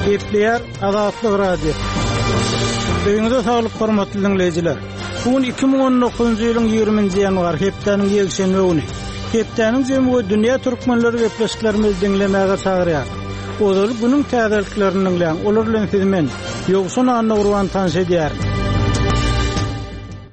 Gepleýär Azatlyk Radiosy. Öýüňize saglyk hormatly diňleýjiler. Bu gün 2019-njy ýylyň 20-nji ýanwary, hepdäniň ýekşenbe güni. Hepdäniň jemi we dünýä türkmenleri gepleşiklerimizi diňlemäge çagyrýar. Ozaly günüň täzeliklerini diňläň, olar bilen sizi men, Ýowşan Annagurban tanyş edýärin.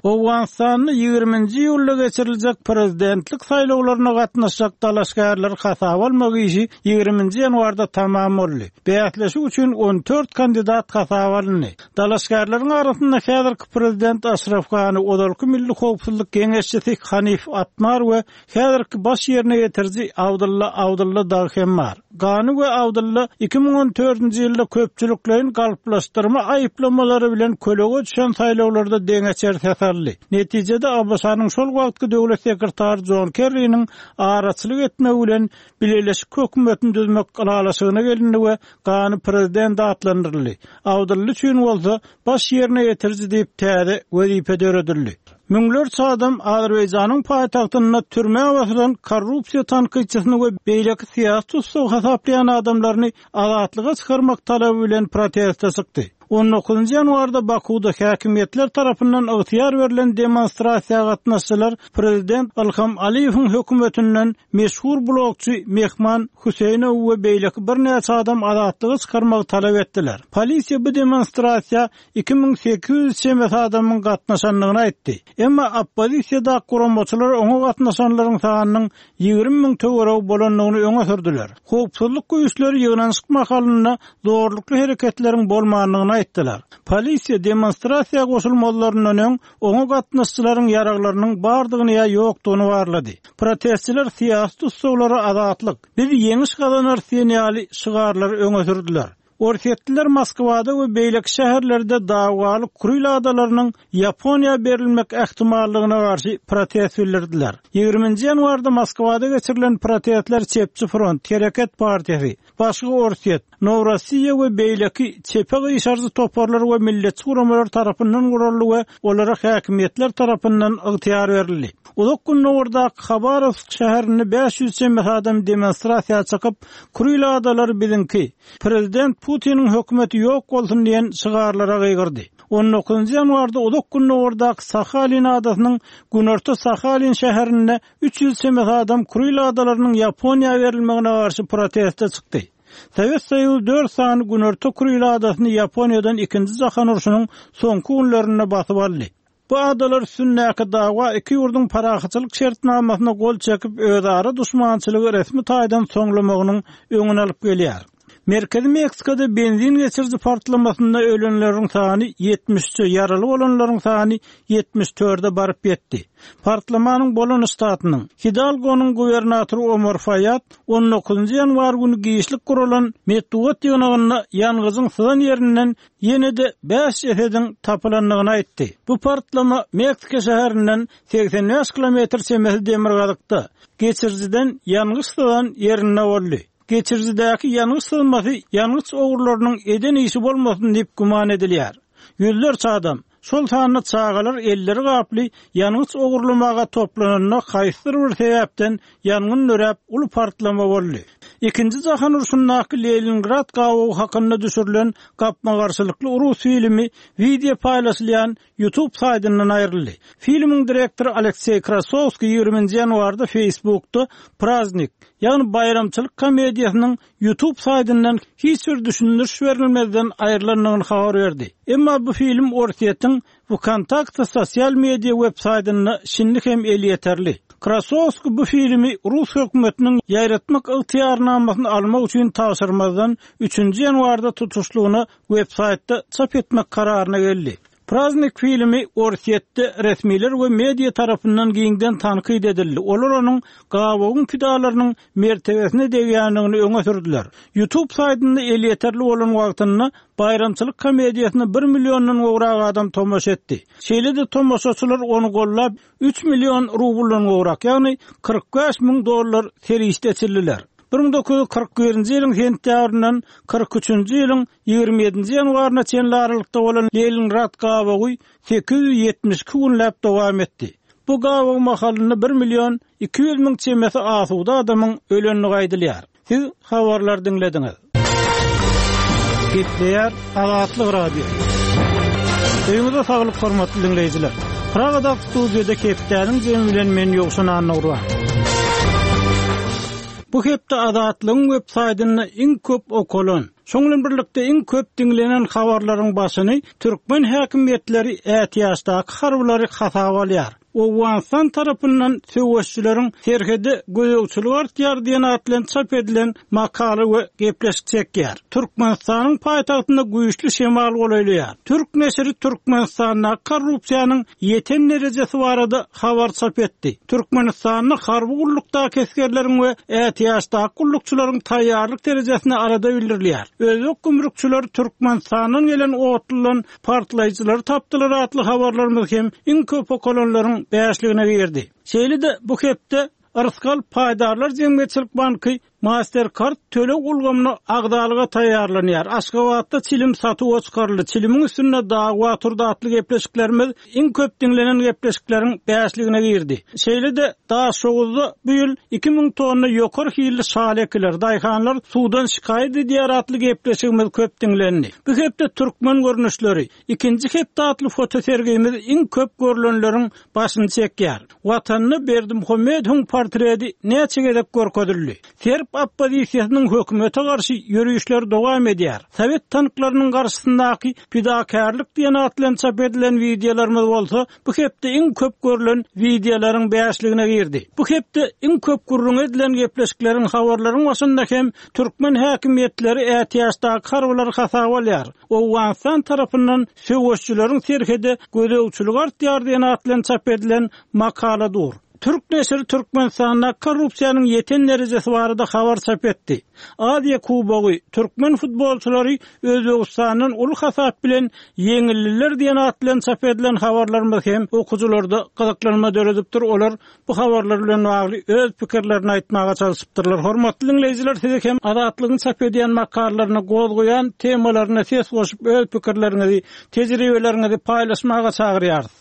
Owganystanda ýigriminji iýulda geçiriljek prezidentlik saýlawlaryna gatnaşjak dalaşgärleri hasaba almak işi ýigriminji ýanwarda tamam boldy. Bäsleşik üçin on dört kandidat hasaba alyndy. Dalaşgärleriň arasynda häzirki prezident Aşraf Gani, ozalky milli howpsuzlyk geňeşçisi Hanif Atmar we häzirki baş ýerine ýetiriji Abdylla Abdylla dagy hem bar. Gani we Abdylla 2014-nji ýylda köpçülikleýin galplaşdyrma aýyplamalary bilen kölege düşen saýlawlarda deňeçer ses aldy. Netijede ABŞ-nyň şol wagtky döwlet sekretary Jon Kerriniň araçylyk etmegi bilen bileleşik hökümetini düzmek ylalaşygyna gelindi we Gani prezident atlandyryldy. Abdylla üçin bolsa baş ýerine ýetiriji diýip täze wezipe döredildi. Müňlerçe adam Azerbaýjanyň paýtagtynda türmä basylan korrupsiýa tankytçysyny we beýleki syýasy tussag hasaplaýan adamlaryny azatlyga çykarmak talaby bilen proteste çykdy. On dokuzynjy ýanwarda Bakuwda häkimiýetler tarapyndan ygtyýar berlen demonstrasiýa gatnaşyjylar prezident Ilham Aliýewiň hökümetinden meşhur blogçy Mehman Hüseýnowy we beýleki birnäçe adam azatlyga çykarmagy talap etdiler. Polisiýa bu demonstrasiýa 2800 çemesi adamyň gatnaşandygyny aýtdy. Emma oppozisiýadaky guramaçylar oňa gatnaşanlaryň sanynyň 20 müň töweregi bolandygyny öňe sürdüler. Howpsuzlyk güýçleri ýygnanyşyk mahalynda zorlukly hereketleriň bolmandygyny aýtdylar. Polisiýa demonstrasiýa goşulmazlaryndan öň oňa gatnaşyjylaryň ýaraglarynyň bardygyny ýa ýokdugyny barlady. Protestçiler syýasy tussaglara azatlyk, biz ýeňiş gazanarys diýen ýaly şygarlary öňe sürdüler. Orsýetliler Moskwada we beýleki şäherlerde dawaly Kuril adalarynyň Ýaponiýa berilmek ähtimallygyna garşy protest bildirdiler. Ýigriminji ýanwarda Moskwada geçirilen protestler Çepçi front, Hereket partiýasy, Başga Orsýet, Nowrossiýa we beýleki çepe gyşarjy toparlar we milletçi guramalar tarapyndan guraldy we olara häkimiýetler tarapyndan ygtyýar berildi. Uzak Gündogardaky Habarowsk şäherinde 500 çemesi adam demonstrasiýa çykyp, Kuril adalary biziňki, Prezident Putiniň hökümeti ýok bolsun diýen şygarlara gygyrdy. On dokuzynjy ýanwarda Uzak Gündogardaky Sahalin adasynyň Günorta Sahalin şäherinde 300 çemesi adam Kuril adalarynyň Ýaponiýa berilmegine garşy proteste çykdy. Sowet Soýuzy dört sany Günorta Kuril adasyny Ýaponiýadan Ikinji jahan urşunyň soňky günlerinde basyp aldy. Bu adalar üstündäki dawa iki ýurduň parahatçylyk şertnamasyna gol çekip özara duşmançylygy resmi taýdan soňlamagynyň öňüni alyp gelýär. Merkezi Meksikada benzin geçiriji partlamasynda ölenleriň sany 73-e, ýaraly bolanlaryň sany 74-e baryp ýetdi. Partlamanyň bolan ştatynyň, Hidalgonyň gubernatory Omar Faýad on dokuzynjy ýanwar güni giçlik guralan metbugat ýygnagynda ýangyjyň syzan ýerinden ýene-de bäş jesediň tapylandygyny aýtdy. Bu partlama Meksika şäherinden 85 kilometr çemesi demirgazykda, geçirijiden ýangyç syzan ýerinde boldy. Geçirijidäki ýangyç syzmasy ýangyç ogrularynyň eden işi bolmasyn diýip güman edilýär. Ýüzlerçe adam, şol sanda çagalar elleri gaply ýangyç ogurlamaga toplananda haýsydyr bir sebäpden ýangyn döräp, uly partlama boldy. Ikinji jahan urşundaky Leningrad gabawy hakynda düşürilen gapma-garşylykly rus filmi wideo paýlaşylýan YouTube saýtyndan aýryldy. Filmiň direktory Alekseý Krasowskiý ýigriminji ýanwarda Facebookda Praznik, ýagny baýramçylyk komediýasynyň YouTube saýtyndan hiç bir düşündiriş berilmezden aýrylandygyny habar berdi. Emma bu film Orsýetiň Wkontakte sosial media web saýtynda şindi hem elýeterli. Krasowskiý bu filmi rus hökümetiniň ýaýratmak ygtyýarnamasyny almak üçin tabşyrmazdan üçünji ýanwarda tutuşlygyna web saýtda çap etmek kararyna geldi. Praznik filmi Orsýetde resmiler we media tarapyndan giňden tankyt edildi, olar onuň gabawyň pidalarynyň mertebesine degýändigini öňe sürdüler. YouTube saýtynda elýeterli bolan wagtynda baýramçylyk komediýasyna bir milliondan gowrak adam tomaşa etdi. Şeýle-de tomaşaçylar ony gollap, üç million rubldan gowrak, ýagny 45 müň dollar serişde eçildiler. 1941-nji ýylyň sentýabryndan 43-nji ýylyň 27-nji ýanwaryna çenli aralykda bolan Leningrad gabawy 872 günläp dowam etdi. Bu gabaw mahalynda bir million 200 müň çemesi asuda adamyň ölendigi aýdylýar. Siz habarlary diňlediňiz. Gepleýär Azatlyk Radiosy. Öýüňize saglyk hormatly diňleýjiler. Pragadaky studiýada hepdäniň jemi bilen men Ýowşan Annagurban. Bu hepde Azatlygyň web saýtynda iň köp okalan, şoň bilen birlikde iň köp diňlenen habarlaryň başyny türkmen häkimiýetleri ätiýaçdaky harbylary hasaba alýar. Owganystan tarapyndan söweşijileriň serhede gözegçiligi artýar diýen at bilen çap edilen makala we gepleşik çekýär. Türkmenistanyň paýtagtynda güýçli şemal golaýlaýar. Türk neşiri Türkmenistandaky korrupsiýanyň ýeten derejesi barada habar çap etdi. Türkmenistanda harby gullukdaky esgerleriň we ätiýaçdaky gullukçylaryň taýýarlyk derejesine alada bildirilýär. Özbek gümrükçileri Türkmenistandan gelen otludan partlaýjylary tapdylar atly habarlarymyz hem iň köp okalanlaryň bäşligine girdi. Şeýle-de bu hepde Rysgal paýdarlar jemgyýetçilik banky Mastercard töleg ulgamyna agzalyga taýýarlanýar. Aşgabatda çilim satuwa çykaryldy. Çilimiň üstünde dawa turdy atly gepleşiklerimiz iň köp diňlenen gepleşikleriň bäşligine girdi. Şeýle-de Daşoguzda bu ýyl 2000 tonna ýokary hilli şaly ekiler, daýhanlar suwdan şikaýat edýär atly gepleşigimiz köp diňlendi. Bu hepde Türkmen görnüşleri, ikinji hepde atly fotosergimiz iň köp görlenleriň başyny çekýär. Watanda Berdimuhamedowyň portreti näçe gezek görkezildi? Serb oppozisiýasynyň hökümete garşy ýörişleri dowam edýär. Sowet tanklarynyň garşysyndaky pidakärlik diýen at bilen çap edilen wideolarymyz bolsa bu hepde iň köp görlen wideolaryň bäşligine girdi. Bu hepde iň köp gürrüňi edilen gepleşikleriň habarlaryň başynda hem türkmen häkimiýetleri ätiýaçdaky harbylary hasaba alýar. Owganystan tarapyndan söweşijileriň serhede gözegçiligi artýar diýen at bilen çap edilen makala dur. Türk neşiri Türkmenistanda korrupsiýanyň ýeten derejesi barada habar çap etdi. Aziýa Kubogy, türkmen futbolçylary Özbegistandan uly hasap bilen ýeňildiler diýen at bilen çap edilen habarlarymyz hem okyjylarda gyzyklanma döredipdir, olar bu habarlar bilen bagly öz pikirlerini aýtmaga çalşypdyrlar. Hormatly diňleýjiler sizi hem Azatlygyň çap edýän makalalaryna gozgaýan temalaryna ses goşup öz pikirleriňizi, tejribeleriňizi paýlaşmaga çagyrýarys.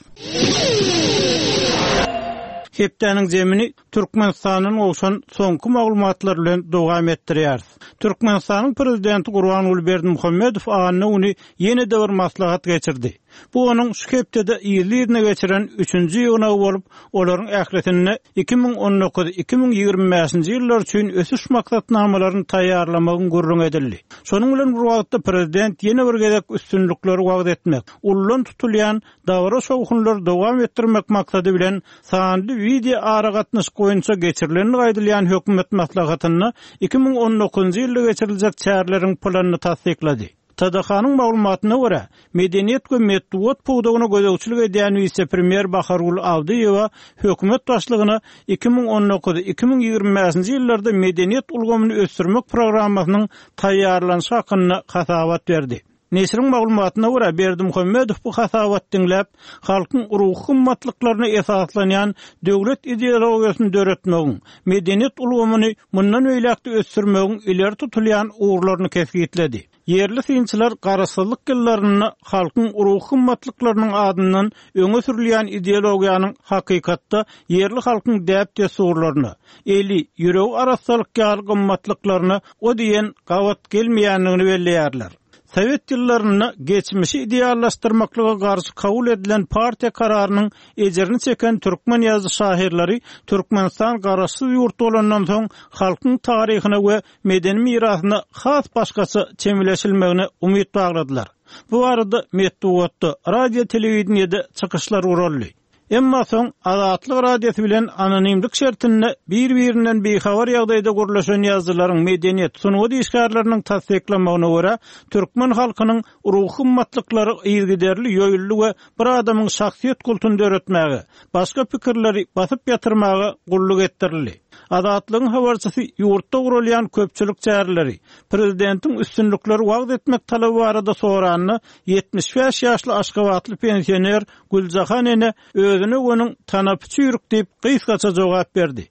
Hepdäniň zemini Türkmenistandan gowşan soňky maglumatlar bilen dowam etdirýäris. Türkmenistanyň Prezidenti Gurbanguly Berdimuhamedow anna güni ýene-de bir maslahat geçirdi. Bu onuň şu hepdede yzly-yzyna geçiren üçünji ýygnagy bolup, olaryň ählisinde 2019, 2025-nji ýyllar üçin ösüş maksatnamalaryny taýýarlamagyň gürrüňi edildi. Şonuň bilen bir wagtda prezident ýene bir gezek üstünlikleri wagyz etmek, ulludan tutulýan dabara-şowhunlary dowam etdirmek maksady bilen sanly wideo aragatnaşyk boýunça geçirilendigi aýdylýan hökümet maslahatynda 2019-njy ýylda geçiriljek çäreleriň planyny tassyklady. TDH-nyň maglumatyna görä, medeniýet we metbugat pudagyna gözegçilik edýän wise-premýer Bahargül Abdyýewa hökümet başlygyna 2019, 2025-nji ýyllarda medeniýet ulgamyny ösdürmek programmasynyň taýýarlanyşy hakynda hasabat berdi. Neşiriň maglumatyna görä, Berdimuhamedow bu hasabaty diňläp, halkyň ruhy gymmatlyklaryna esaslanýan döwlet ideologiýasyny döretmegiň, medeniýet ulgamyny mundan beýläk-de ösdürmegiň ileri tutulýan ugurlaryny kesgitledi. Ýerli synçylar garaşsyzlyk ýyllarynda halkyň ruhy gymmatlyklarynyň adyndan öňe sürülýän ideologiýanyň hakykatda ýerli halkyň däp-dessurlaryna, eli, ýüregi arassalyk ýaly gymmatlyklaryna o diýen gabat gelmeýändigini belleýärler. Sowet ýyllarynda geçmişi ideallaşdyrmaklyga garşy kabul edilen partiýa kararynyň ejirini çeken türkmen ýazyjy-şahyrlary Türkmenistan garaşsyz ýurt bolandan soň halkyň taryhyna we medeni mirasyna has başgaça çemeleşilmegine umyt bagladylar. Bu barada metbugatda, radio-telewideniýede çykyşlar guraldy. Emma soň Azatlyk Radiosy bilen anonimlik şertinde bir-birinden bihabar ýagdaýda gürleşen ýazyjylaryň, medeniýet, sungat işgärleriniň tassyklamagyna görä, türkmen halkynyň ruhy gymmatlyklary yzygiderli ýoýuldy we bir adamyň şahsyýet kultuny döretmäge, başga pikirleri basyp ýatyrmaga gulluk etdirildi. Azatlygyň habarçysy ýurtda guralýan köpçülik çäreleri, prezidentiň üstünlikleri wagyz etmek talaby barada soranda, 75 ýaşly aşgabatly pensioner Güljahan ene özüne göniň tanapy çüýrük diýip gysgaça jogap berdi.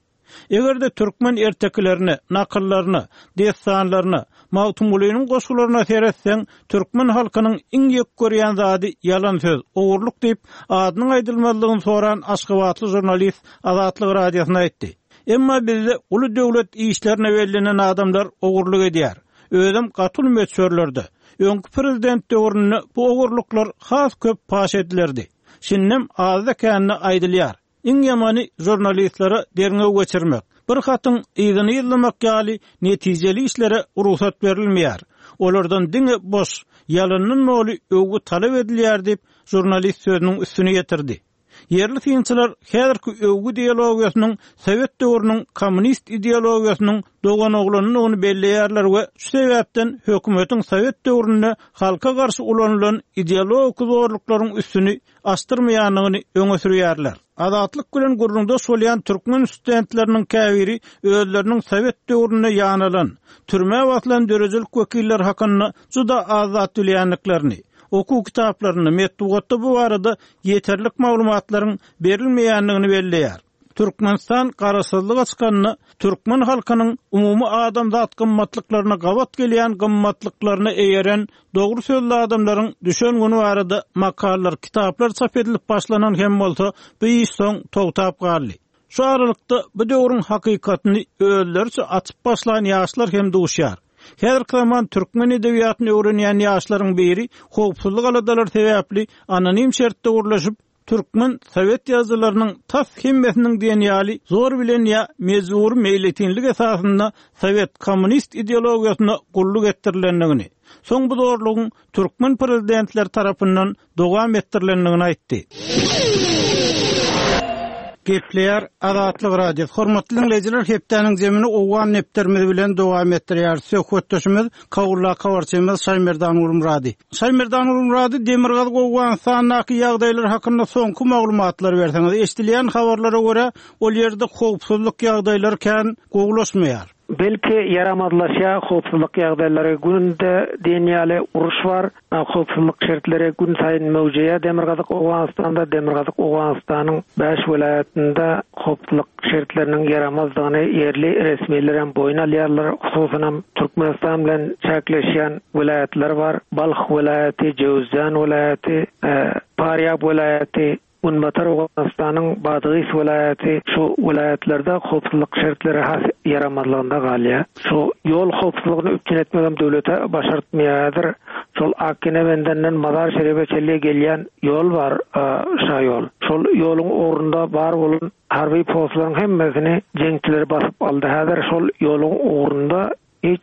Eger-de türkmen ertekilerine, nakyllaryna, dessanlaryna, Magtymgulynyň goşgularyna seretseň, türkmen halkynyň iň ýek görýän zady ýalan söz, ogurlyk diýip, adynyň aýdylmazlygyny soran aşgabatly žurnalist Azatlyk Radiosyna aýtdy. Emma bizde uly döwlet işlerine bellenen adamlar ogurlyk edýär. Özem gaty uly möçberlerde. Öňki prezident döwründe bu ogurlyklar has köp paş edilerdi. Şindem azda-kände aýdylýar. Iň ýamany žurnalistlere derňew geçirmek, bir hatyň yzyny yzlamak ýaly netijeli işlere rugsat berilmeýär. Olardan diňe boş, ýalandan doly öwgi talap edilýär diýip, žurnalist sözüniň üstüni ýetirdi. Ýerli synçylar häzirki öwgi ideologiýasynyň sowet döwrüniň kommunist ideologiýasynyň doganoglanydygyny belleýärler we şu sebäpden hökümetiň sowet döwründe halka garşy ulanylan ideologik zorluklaryň üstüni açdyrmaýandygyny öňe sürýärler. Azatlyk bilen gürrüňdeş bolýan türkmen studentleriniň käbiri özleriniň sowet döwründe ýanalan, türmä basylan döredijilik wekilleri hakynda juda az zat bilýändiklerini, okuw kitaplarynda, metbugatda bu barada ýeterlik maglumatlaryň berilmeýändigini belleýär. Türkmenistan Garaşsyzlyga çykanda türkmen halkynyň umumy adamzat gymmatlyklaryna gabat gelýän gymmatlyklaryna eýeren dogry sözli adamlaryň düşen güni barada makalalar, kitaplar çap edilip başlanan hem bolsa, bu iş soň togtap galdy. Şu aralykda bu döwrüň hakykatyny özleriçe açyp başlan ýaşlar hem duşýar. Häzirki zaman türkmen edebiýatyny öwrenýän ýaşlaryň biri howpsuzlyk aladalary sebäpli anonim şertde gürleşip, Türkmen sowet ýazyjylarynyň tas hemmesiniň diýen ýaly zor bilen ýa mejbury meýletinlik esasynda sowet kommunist ideologiýasyna gulluk etdirilendigini, soň bu zorlugyň türkmen prezidentleri tarapyndan dowam etdirilendigini aýtdy. Gepleýär Azatlyk Radiosy. Hormatly diňleýjiler, hepdäniň jemini owgan depderimiz bilen dowam etdirýäris. Söhbetdeşimiz Kabuldaky habarçymyz Şaýmerdan Gulmyrady. Şaýmerdan Gulmyrady, Demirgazyk Owganystandaky ýagdaýlar hakynda soňky maglumatlary berseňiz. Eşidilýän habarlara görä, ol ýerde howpsuzlyk ýagdaýlary kän gowulaşmaýar. Belki ýaramazlaşýar howpsuzlyk ýagdaýlary. Günde diýen ýaly uruş bar. Howpsuzlyk şertleri günsaýyn möwjeýär Demirgazyk Owganystanda. Demirgazyk Owganystanyň bäş welaýatynda howpsuzlyk şertleriniň ýaramazdygyny ýerli resmilerem boýun alýarlar. Hususanam Türkmenistan bilen çäkleşýän welaýatlar bar. Balh welaýaty, Jöwüzjan welaýaty, Parýab welaýaty, Günbatar Owganystanyň Badgys welaýaty şu welaýatlarda howpsuzlyk şertleri has ýaramazlygynda galýar. Şu ýol howpsuzlygyny üpjün etmegem döwlete başartmaýar häzir. Şol Akgene bendenden Mazar-Şeribe çenli gelýän ýol bar, şaýol. Şol ýoluň ugrunda bar bolan harby postlaryň hemmesini jeňçiler basyp aldy. Häzir şol ýoluň ugrunda Hiç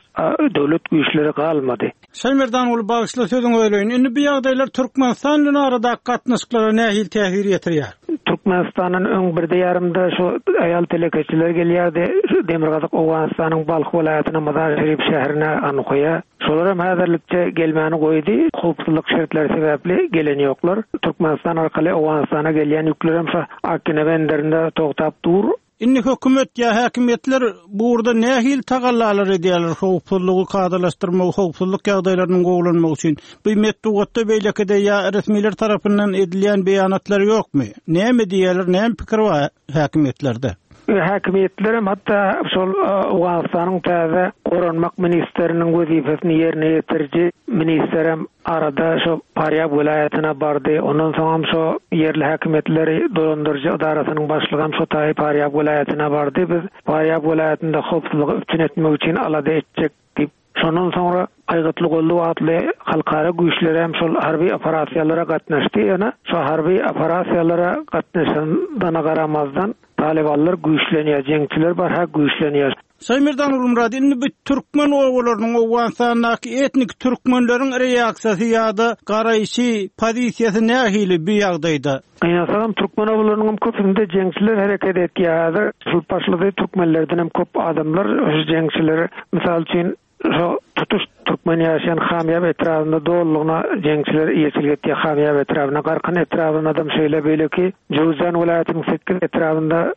döwlet güýçleri galmady. Şaýmerdanguly bagyşla sözüňi böleýin. Indi bu ýagdaýlar Türkmenistan bilen aradaky gatnaşyklara nähili täsir ýetirýär? Türkmenistandan öň birde ýarymda şu aýal telekeçiler gelýärdi şu demirgazyk Owganystanyň Balh welaýatyna Mazar-Şerif şäherine Anhoýa. Şolaram häzirlikçe gelmäni goýdy. Howpsuzlyk şertleri sebäpli gelen ýoklar. Türkmenistan arkaly Owganystana gelýän ýüklerem şu Akgine benderinde togtap dur. Indi hökümet ýa häkimiýetler bu ugurda nähili tagallalar edýärler, howpsuzlygy kadalaşdyrmagy, howpsuzlyk ýagdaýlarynyň gowulanmagy üçin? Bu metbugatda beýlekide ýa resmiler tarapyndan edilýän beýanatlar ýokmy? Näme diýýärler, näme pikir bar häkimiýetlerde? Häkimiýetlerem hatda şol Owganystanyň täze goranmak ministriniň wezipesini ýerine ýetiriji ministerem Arada şo Parýab welaýatyna bardy. Ondan soňam şo ýerli häkimiýetleri dolandyryjy edarasynyň başlygam şo taýy Parýab welaýatyna bardy. Biz Parýab welaýatynda howpsuzlygy üpjün etmek üçin alada etjek diýip. Şondan soňra Aýgytly goldaw atly halkara güýçlerem şol harby operasiýalara gatnaşdy. Ýöne şo harby operasiýalara gatnaşandana garamazdan talybanlar güýçlenýär, jeňçiler barha güýçlenýär. Şaýmerdan Gulmyrat, indi bu türkmen obalarynyň, Owganystandaky etnik türkmenleriň reaksiýasy ýa-da garaýşy, pozisiýasy nähili bu ýagdaýda? Gynansagam, türkmen obalarynyňam köpüsinde jeňçiler hereket etýär häzir. Şul başlady, türkmenlerdenem köp adamlar şu jeňçiler, mysal üçin, şo tutuş türkmen ýaşaýan Hamýap etrabynda dolulygyna jeňçiler eýeçilik etýär Hamýap etrabyna, Garkyn etrabynadam şeýle, beýleki Jöwüzjan welaýatynyň sekiz etrabynda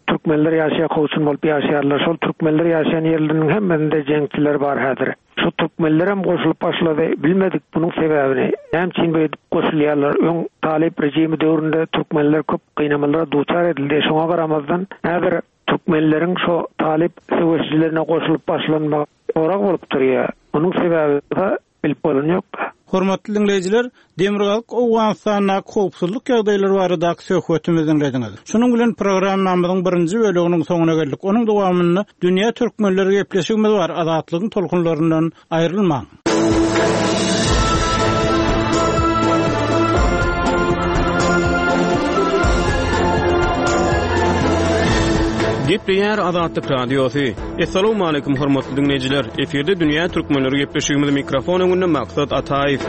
Türkmenler ýaşaýar kowçum bolup ýaşaýarlar şol türkmenler ýaşaýan ýerleriniň hemmesinde jeňçiler bar häzir. Şu türkmenlerem goşulyp başlady bilmedik munuň sebäbini. Näme üçin beýdip goşulýarlar öň talyp rejimi döwründe türkmenler köp gynamalara duçar edildi şoňa garamazdan häzir türkmenleriň şo talyp söweşijilerine goşulyp başlanmagy sorag bolup durýar. Munuň sebäbi bolsa bilip bolan ýok. Hormatly diňleýjiler, Demirgazyk Owganystandaky howpsuzlyk ýagdaýlary baradaky söhbetimizi diňlediňiz. Şunuň bilen programmamyzyň birinji böleginiň soňuna geldik. Onuň dowamynda Dünýä türkmenleri gepleşigimiz bar. Azatlygyň tolkunlaryndan aýrylmaň. Gepleýär Azatlyk Radiosy. Essalawmaleýkum hormatly diňleýjiler! Efirde Dünýä Türkmenleri gepleşigimiz mikrofon öňünde Maksat Ataýew.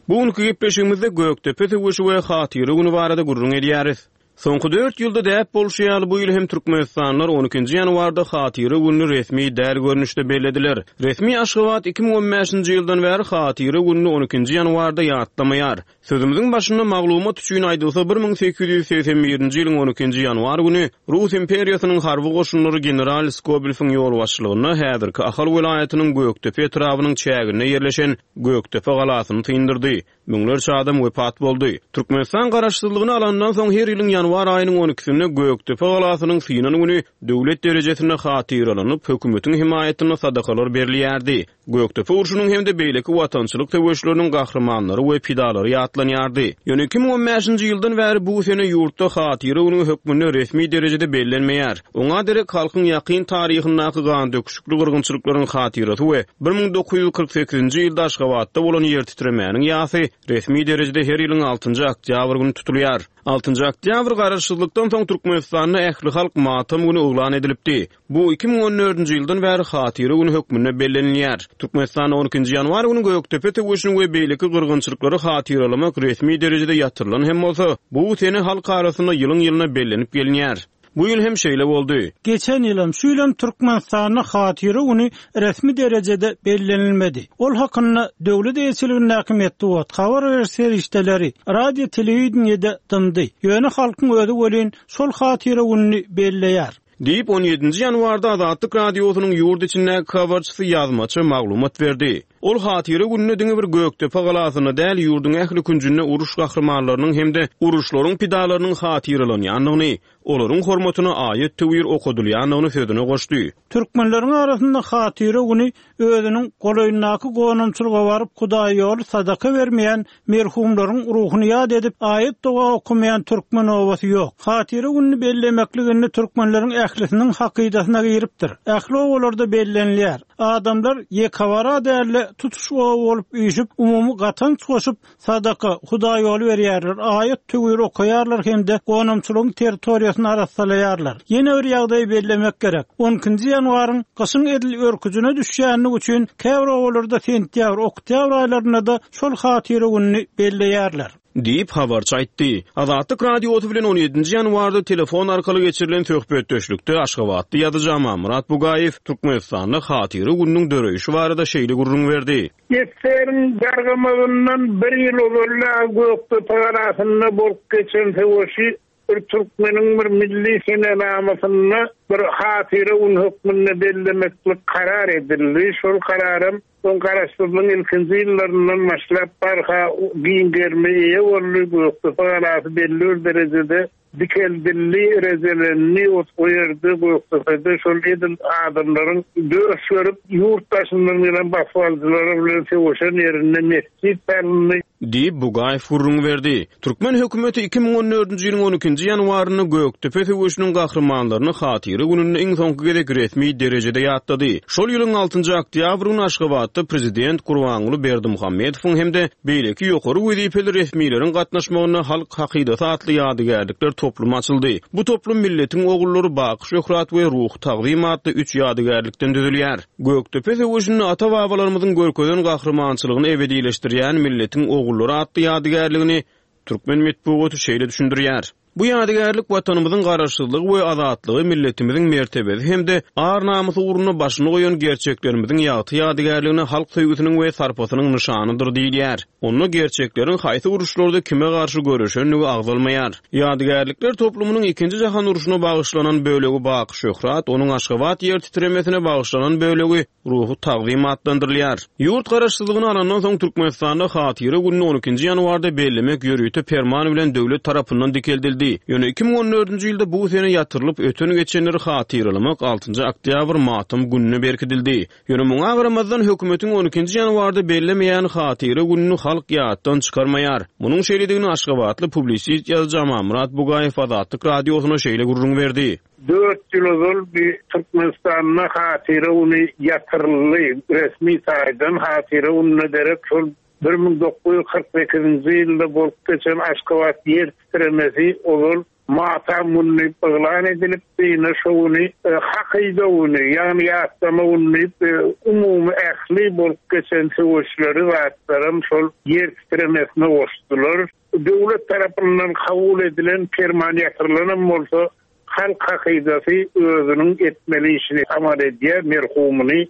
Bu günki gepleşigimizde Gökdepe söweşi we Hatyra güni barada gürrüň edýäris. Soňky dört ýylda däp bolşy ýaly, bu ýyl hem türkmenistanlylar on ikinji ýanwarda Hatyra gününi resmi däl görnüşde bellediler. Resmi Aşgabat 2015-nji ýyldan bäri Hatyra gününi on ikinji ýanwarda ýatlamaýar. Sözümiziň başynda maglumat üçin aýdylsa, 1881-nji ýylyň on ikinji ýanwar güni Rus imperiýasynyň harby goşunlary general Skobelewiň ýolbaşçylygynda häzirki Ahal welaýatynyň Gökdepe etrabynyň çäginde ýerleşen Gökdepe galasyny syndyrdy. Müňlerçe adam wepat boldy. Türkmenistan garaşsyzlygyny alandan soň her ýylyň ýanwar aýynyň on ikisinde Gökdepe galasynyň synan güni döwlet derejesinde hatyralanyp, hökümetiň hemaýatynda sadakalar berilýärdi. Gökdepe urşunyň hem-de beýleki watançylyk söweşleriniň gahrymanlary we pidalary ýatlanýardy. Ýöne 2015-nji ýyldan bäri bu sene ýurtda Hatyra güni hökmünde resmi derejede bellenmeýär. Oňa derek halkyň ýakyn taryhyndaky gandöküşikli gyrgynçylyklaryň hatyrasy we 1948-nji ýylda Aşgabatda bolan ýertitremäniň ýasy resmi derejede her ýylyň altynjy oktýabr güni tutulýar. Altynjy oktýabr Garaşsyzlykdan soň Türkmenistanda ählihalk matam güni yglan edilipdi. Bu 2014-nji ýyldan bäri Hatyra güni hökmünde bellenilýär. Türkmenistanda on ikinji ýanwar güni Gökdepe söweşini we beýleki gyrgynçylyklary hatyralamak resmi derejede ýatyrylan hem bolsa, bu sene halk arasynda ýylyň-ýylyna bellenip gelinýär. Bu ýyl hem şeýle boldy. Geçen ýylam, şu ýylam Türkmenistanda Hatyra güni resmi derejede bellenilmedi. Ol hakynda döwlet eýeçiligindäki metbugat, habar beriş serişdeleri, radio-telewideniýe-de dymdy. Ýöne halkyň özi welin şol Hatyra gününi belleýär. Diýip, on ýedinji ýanwarda Azatlyk Radiosynyň ýurt içindäki habarçysy ýazmaça maglumat berdi. Ol Hatyra gününe diňe bir Gökdepe galasynda däl, ýurduň ähli künjünde uruş gahrymanlarynyň hem-de uruşlaryň pidalarynyň hatyralanýandygyny, olaryň hormatyna aýat-töwir okadylýandygyny sözüne goşdy. Türkmenleriň arasynda Hatyra güni özüniň golaýyndaky gonamçylyga baryp hudaýýoly sadaka bermeýän merhumlaryň ruhuny ýat edip aýat-doga okamaýan türkmen obasy ýok. Hatyra gününi bellemeklik indi türkmenleriň ählisiniň hakydasyna giripdir. Ähli obalarda bellenilýär. Adamlar ýekebara däl-de tutuş oba bolup üýşüp umumy gatanç goşup Sadaka, hudaýýoly berýärler, aýat-töwir okaýarlar hem-de gonamçylygyň territoriýasyny arassalaýarlar. Ýene bir ýagdaýy bellemek gerek. On ikinji ýanwaryň gyşyň edil örküjine düşýänligi üçin käbir obalarda sentýabr, oktýabr aýlarynda-da şol hatyra gününi belleýärler. Diýip, habarçy aýtdy. Azatlyk Radiosy bilen on ýedinji ýanwarda telefon arkaly geçirilen söhbetdeşlikde aşgabatly ýazyjy Amanmyrat Bugaýew Türkmenistanda Hatyra gününiň döreýşi barada şeýle gürrüň berdi. Ssr-iň dargamagyndan bir ýyl ozal Gökdepe galasynda bolup geçen söweşi bir türkmeniň bir milli senenamasynda bir hatyra gün hökmünde bellemeklik karar edildi. Şol kararam soň Garaşsyzlygyň ilkinji ýyllaryndan başlap barha giň gerime eýe boldy. Gökdepe galasy belli bir derejede Dikeldildi, rejelendi, o ýerde Gökdepede şol edil adamlaryň döş berip, ýurt daşyndan gelen basybalyjylar bilen söweşen ýerinde metjit salyndy. Diýip, Bugaýew gürrüň berdi. Türkmen hökümeti 2014-nji ýylyň on ikinji ýanwarynda Gökdepe söweşiniň gahrymanlaryny Hatyra gününde iň soňky gezek resmi derejede ýatlady. Şol ýylyň altynjy oktýabr güni Aşgabatda prezident Gurbanguly Berdimuhamedowyň hem-de Beýleki ýokary wezipeli resmileriň gatnaşmagynda Halk hakydasy atly ýadygärlikler toplumy açyldy. Bu toplum Milletiň ogullary, Baky şöhrat we Ruhy tagzym atly üç ýadygärlikden düzülýär. Gökdepe söweşinde ata-babalarymyzyň görkezen gahrymançylygyny ebedileşdirýän Milletiň ogullary atly ýadygärligini türkmen metbugaty şeýle düşündirýär. Bu ýadygärlik Watanymyzyň Garaşsyzlygy we azatlygy, milletimiziň mertebesi hem-de ar-namysy ugrunda başyny goýan gerçeklerimiziň ýagty ýadygärligine halk söýgüsiniň we sarpasynyň nyşanydyr diýilýär. Onda gerçekleriň haýsy uruşlarda kime garşy göreşendigi agzalmaýar. Ýadygärlikler toplumynyň Ikinji jahan urşuna bagyşlanan bölegi Baky şöhrat, onuň Aşgabat ýer titremesine bagyşlanan bölegi Ruhy tagzym atlandyrylýar. Ýurt Garaşsyzlygyny alandan soň Türkmenistanda Hatyra gününi on ikinji ýanwarda bellemek ýörite perman bilen döwlet tarapyndan dikeldildi. edildi. Ýöne 2014-nji ýylda bu sene ýatyrylyp, öten-geçenleri hatyralamak altynjy oktýabr matam gününe berkidildi. Ýöne muňa garamazdan, hökümetiň on ikinji ýanwarda bellemeýän Hatyra gününi halk ýatdan çykarmaýar. Munuň şeýledigini aşgabatly publisist ýazyjy Amanmyrat Bugaýew Azatlyk Radiosyna şeýle gürrüň berdi. Dört ýyl ozal bir Türkmenistanda Hatyra güni ýatyryldy. Resmi taýdan Hatyra gününe derek şol 1948-nji ýylda bolup geçen Aşgabat ýer titremesi ozal Matam güni diýip yglan edilipdi, ine şo güni Hakyda güni, ýagny ýatlama güni diýip, umumy ähli bolup geçen söweşleri, zatlaram şol ýer titremesine goşdular. Döwlet tarapyndan kabul edilen perman ýatyrylanam bolsa, halk hakydasy özüniň etmeli işini amal edýär, merhumyny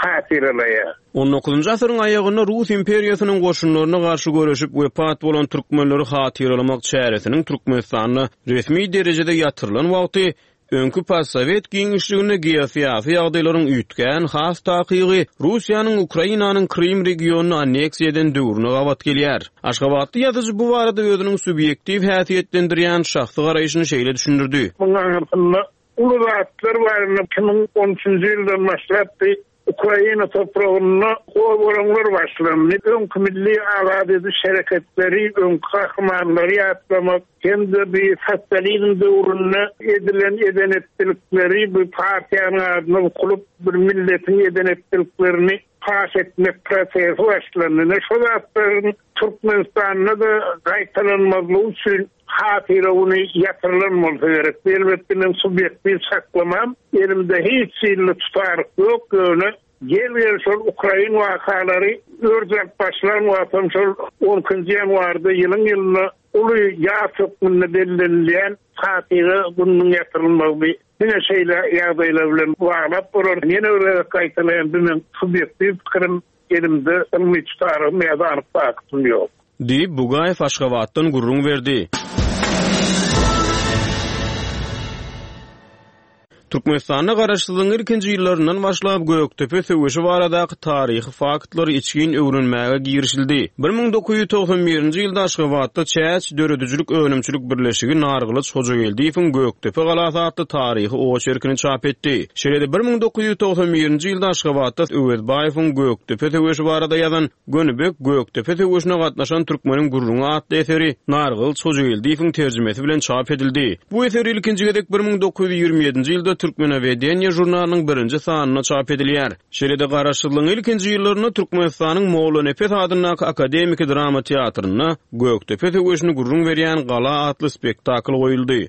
hatyralaýar. On dokuzynjy asyryň aýagynda Rus imperiýasynyň goşunlaryna garşy göreşip wepat bolan türkmenleri hatyralamak çäresiniň Türkmenistanda resmi derejede ýatyrylan wagty öňki postsowet giňişliginde geosyýasy ýagdaýlaryň üýtgän, has takygy, Russiýanyň Ukrainanyň Krym regionyny anneksiýa eden döwrüne gabat gelýär. Aşgabatly ýazyjy bu barada özüniň subýektiw häsiýetlendirýän şahsy garaýşyny şeýle düşündirdi. Munuň aňyrsynda Uly zatlar bar indi 2013-nji ýyldan başlap bi Ukraina topragynda gozgalaňlar başlandy. Öňki milli azat ediş hereketleri, öňki gahrymanlary ýatlamak hem-de bi sosializm döwründe edilen eden-etdilikleri bi partiýanyň adyna bukulyp bir milletiň eden-etdiliklerini paş etmek prosesi başlandy. Ine şo zatlaryň Türkmenistanda-da gaýtalanmazlygy üçin Hatyra güni ýatyrylan bolsa gerek. Bu elbetde meň subýektiw çaklamam. Elimde hiç hilli tutaryk ýok, ýöne gel-gel şol ukrain wakalary örç alyp başlan wagtam şol on ikinji ýanwarda ýylyň-ýylyna uly ýas hökmünde bellenilýän Hatyra gününiň ýatyrylmagy diňe şeýle ýagdaýlar bilen baglap bolar. Ýene bir gezek gaýtalaýan, bu meň subýektiw pikirim. Elimde ylmy tutarygym ýa-da anyk faktym ýok. Diýip, Bugaýew Aşgabatdan gürrüň berdi. Türkmenistanda garaşsyzlygyň ilkinji ýyllaryndan başlap Gökdepe söweşi baradaky taryhy faktlary içgin öwrenmäge girişildi. 1991-nji ýylda Aşgabatda Çäç döredijilik önümçilik birleşigi Nargylyç Hojageldiýewiň Gökdepe galasy atly taryhy oçerkini çap etdi. Şeýle-de 1991-nji ýylda Aşgabatda Öwezbaýewiň Gökdepe söweşi barada ýazan Gönübek Gökdepe söweşine gatnaşan türkmeniň gürrüňi atly eseri Nargylyç Hojageldiýewiň terjimesi bilen çap edildi. Bu eser ilkinji gezek 1927-nji ýylda Türkmenowedeniýe žurnalynyň birinji sanynda çap edilýär. Şeýle-de Garaşsyzlygyň ilkinji ýyllarynda Türkmenistanyň Mollanepes adyndaky akademiki drama teatrynda Gökdepe söweşini gürrüň berýän Gala atly spektakl goýuldy.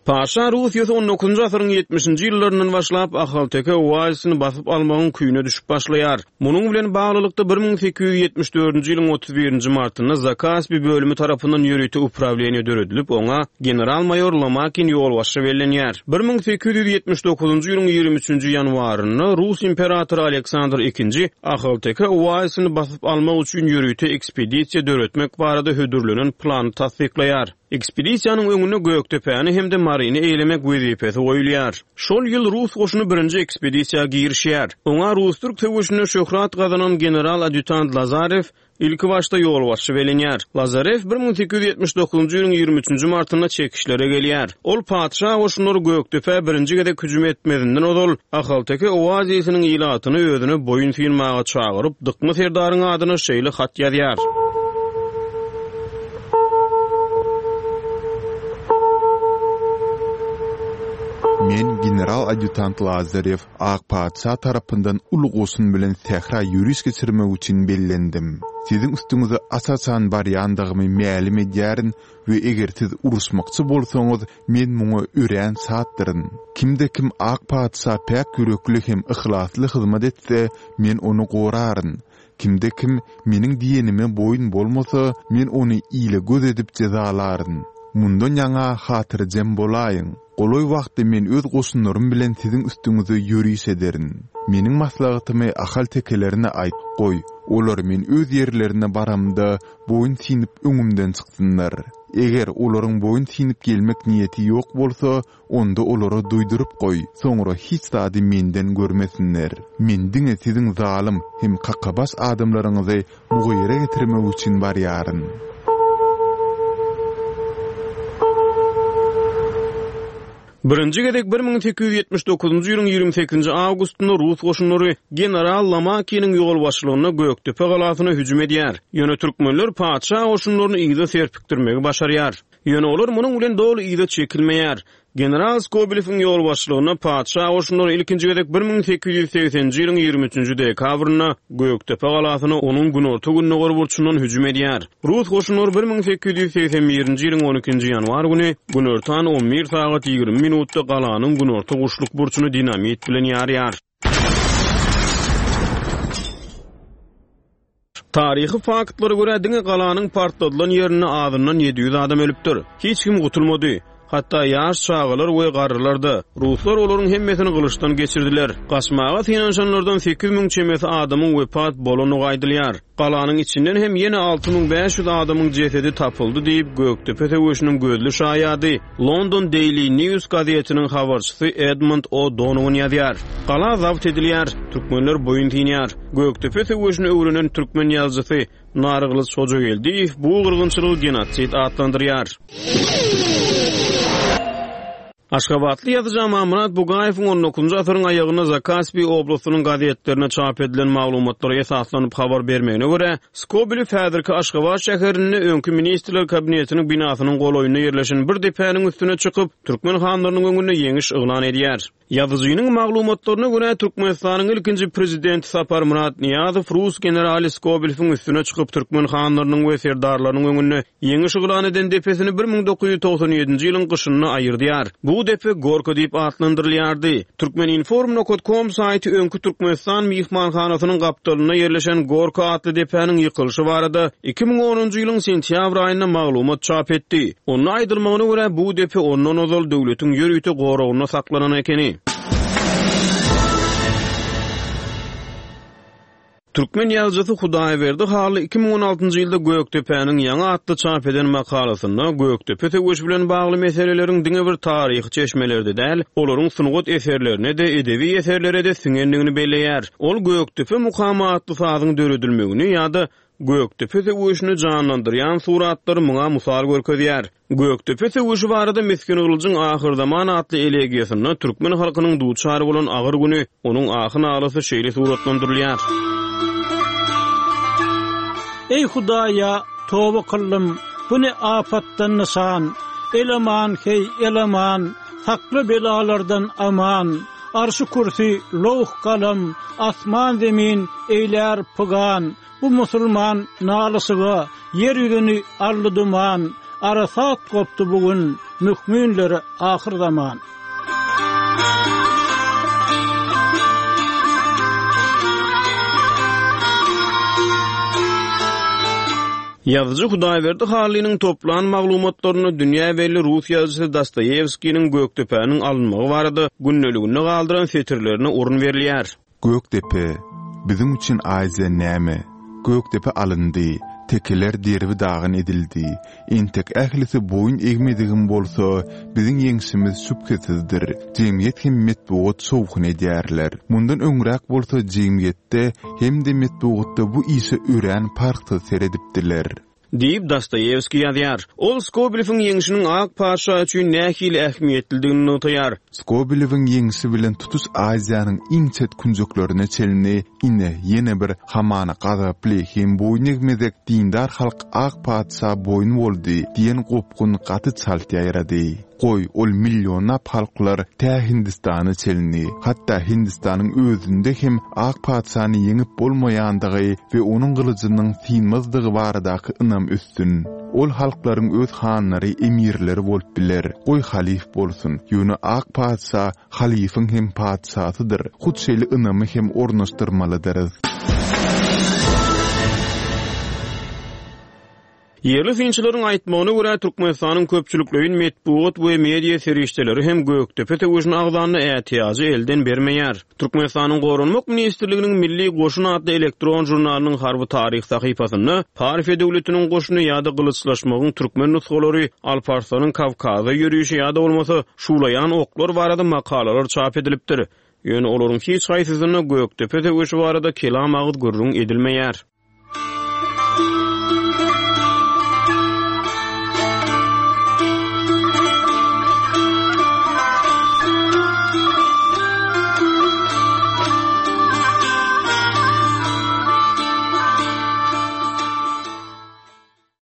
Patyşa Russiýasy on dokuzynjy asyryň ýetmişinji ýyllaryndan başlap Ahalteke oazisini basyp almagyň küýüne düşüp başlaýar. Munuň bilen baglylykda, 1874-nji ýylyň 31-nji martynda Zakaspi bölümi tarapyndan ýörite uprawleniýe döredilip, oňa general-maýor Lomakin ýolbaşçy bellenýär. 1879-njy ýylyň 23-nji ýanwarynda rus imperatory Aleksandr II Ahalteke oazisini basyp almak üçin ýörite ekspedisiýa döretmek barada hödürlenen plany tassyklaýar. Ekspedisiýanyň öňünde Gökdepäni hem-de Maryny eýelemek wezipesi goýulýar. Şol ýyl rus goşuny birinji ekspedisiýa girişýär. Oňa rus-türk söweşinde şöhrat gazanan general-adýutant Lazarew ilkibaşda ýolbaşçy bellenýär. Lazarew 1879-njy ýylyň 23-nji martynda çekişlere gelýär. Ol patyşa goşunlary Gökdepä birinji gezek hüjüm etmezinden ozal Ahalteke oazisiniň ilatyny özüne boýun synmaga çagyryp, Dykma serdaryň adyna şeýle hat ýazýar. Men general-adýutant Lazarew ak patyşa tarapyndan uly goşun bilen sähra ýöriş geçirmek üçin bellendim. Siziň üstüňize aç-açan barýandygymy mälim edýärin we eger siz uruşmakçy bolsaňyz, men muňa örän şatdyryn. Kimde-kim ak patyşa päk ýürekli hem yhlasly hyzmat etse, men ony goraryn. Kimde-kim meniň diýenime boýun bolmasa, men ony ile göz edip jezalaryn. Mundan ýaňa hatyrjem bolaýyň. Golaý wagtda men öz goşunlarym bilen siziň üstüňize ýöriş ederin. Meniň maslahatymy Ahal tekelerine aýt, goý, olar men öz ýerlerine baramda boýun synyp öňümden çyksynlar. Eger olaryň boýun synyp gelmek niýeti ýok bolsa, onda olara duýduryp goý, soňra hiç zady menden görmesinler. Men diňe siziň zalym hem kakabaş adamlaryňyzy mugyra getirmek üçin barýaryn. Birinji gezek 1879-njy ýylyň 28-nji awgustynda rus goşunlary general Lomakiniň ýolbaşçylygynda Gökdepe galasyna hüjüm edýär. Ýöne türkmenler patyşa goşunlaryny yza serpikdirmegi başarýar. Ýöne olar munuň bilen doly yza çekilmeýär. General Skobelewiň ýolbaşçylygynda patyşa goşunlary ilkinji gezek 1880-nji ýylyň 23-nji dekabrynda Gökdepe galasyna onuň günorta-gündogar burçundan hüjüm edýär. Rus goşunlary 1881-nji ýylyň 12-nji ýanwar güni günortan on bir sagat 20 minutda galanyň günorta-guşluk burçuny dinamit bilen ýarýar. Taryhy faktlara görä, diňe galanyň partladylan ýerinde azyndan 700 adam ölüpdir. Hiç kim gutulmady. Hatda ýaş çagalar we garrylar-da. Ruslar olaryň hemmesini gylyçdan geçirdiler. Gaçmaga synanyşanlardan 8000 çemesi adamyň wepat bolandygy aýdylýar. Galanyň içinden hem ýene 6500 adamyň jesedi tapyldy diýip, Gökdepe söweşiniň gözli şaýady, London Daily News gazetiniň habarçysy Edmund O. Donowan ýazýar. Gala zabt edilýär. Türkmenler boýun synýar. Gökdepe söweşini öwrenen türkmen ýazyjysy Nargylyç Hojageldiýew bu gyrgynçylygy genosid atlandyrýar. Aşgabatly ýazyjy Amanmyrat Bugaýewiň on dokuzynjy asyryň aýagynda Zakaspi oblastynyň gazetlerinde çap edilen maglumatlara esaslanyp habar bermegine görä, Skobelew häzirki Aşgabat şäherinde öňki Ministrler Kabinetiniň binasynyň golaýynda ýerleşen bir depäniň üstüne çykyp, türkmen hanlarynyň öňünde ýeňiş yglan edýär. Ýazyjynyň maglumatlaryna görä, Türkmenistanyň ilkinji prezidenti Saparmyrat Nyýazow rus generaly Skobelewiň üstüne çykyp, türkmen hanlarynyň we serdarlarynyň öňünde ýeňiş yglan eden depesini 1997-nji ýylyň gyşynda aýyrdýar. Bu depe Gorka diýip atlandyrylýardy. Türkmeninform nokat kom saýty öňki Türkmenistan myhmanhanasynyň gapdalynda ýerleşen Gorka atly depäniň ýykylyşy barada 2010-njy ýylyň sentýabr aýynda maglumat çap etdi. Onda aýdylmagyna görä, bu depe ondan ozal döwletiň ýörite goragynda saklanan ekeni. Türkmen ýazyjysy Hudaýberdi Hally 2016-njy ýylda Gökdepäniň ýaňy atly çap eden makalasynda Gökdepe söweşi bilen bagly meseleleriň diňe bir taryhy çeşmelerde däl, olaryň sungat eserlerine-de, edebi eserlere-de siňendigini belleýär. Ol Gökdepe mukamy atly sazyň döredilmegini ýa-da Gökdepe söweşini janlandyrýan suratlary muňa mysal görkezýär. Gökdepe söweşi barada Misgin Gylyjyň Ahyrzaman atly elegiýasynda türkmen halkynyň duçar bolan agyr güni, onuň ahy-nalasy şeýle suratlandyrylýar. Eý Hudaýa, toba kyldym, bu ne apatdan nyşan, El-aman, heý, el-aman, sakla belalardan aman, Arşy-kürsi, lowh-galam, asman-zemin eýlär pygan, Bu musulman nalyşyga ýer ýüzüni aldy duman, Arasat gopdy bu gün mühminlere ahyrzaman. Ýazyjy Hudaýberdi Hallynyň toplan maglumatlarynda dünýä belli rus ýazyjysy Dostoýewskiniň Gökdepäniň alynmagy barada gündeliginde galdyran setirlerine orun berilýär. Gökdepe, biziň üçin Aziýa näme? Gökdepe alyndy, tekeler derbi-dagyn edildi. Entek ählisi boýun egmedigem bolsa, biziň ýeňşimiz şübhesizdir. Jemgyýet hem metbugat şowhun edýärler. Mundan öňräk bolsa jemgyýetde hem-de metbugatda bu işe örän parhsyz seredipdiler. Diýip, Dostoýewskiý ýazýar. Ol Skobelewiň ýeňşiniň ak patyşa üçin nähili ähmiýetlidigini nygtaýar. Skobelewiň ýeňşi bilen tutuş Aziýanyň iň çet künjeklerine çenli ine, ýene bir, hamana gazaply hem boýun egmezek dindar halk ak patyşa boýun boldy diýen gopgun gaty çalt ýaýrady. Goý, ol millionlap halklar tä Hindistana çenli, hatda Hindistanyň özünde hem ak patyşany ýeňip bolmaýandygy we onuň gylyjynyň synmazdygy baradaky ynam össün. Ol halklaryň öz hanlary, emirleri bolup biler, goý halyf bolsun, ýöne ak patyşa halyfyň hem patyşasydyr, hut şeýle ynamy hem ornaşdyrmalydyrys. Ýerli synçylaryň aýtmagyna görä, Türkmenistanyň köpçülikleýin metbugat we media serişdeleri hem Gökdepe söweşini agzanda ätiýajy elden bermeýär. Türkmenistanyň Goranmak ministrliginiň Milli goşun atly elektron žurnalynyň harby taryh sahypasynda Parfiýa döwletiniň goşuny ýa-da gylyçlaşmagyň türkmen nusgalary, Alparslanyň Kawkaza ýörişi ýa-da bolmasa şuwlaýan oklar barada makalalar çap edilipdir. Ýöne olaryň hiç haýsysynda Gökdepe söweşi barada kelam agyz gürrüň edilmeýär.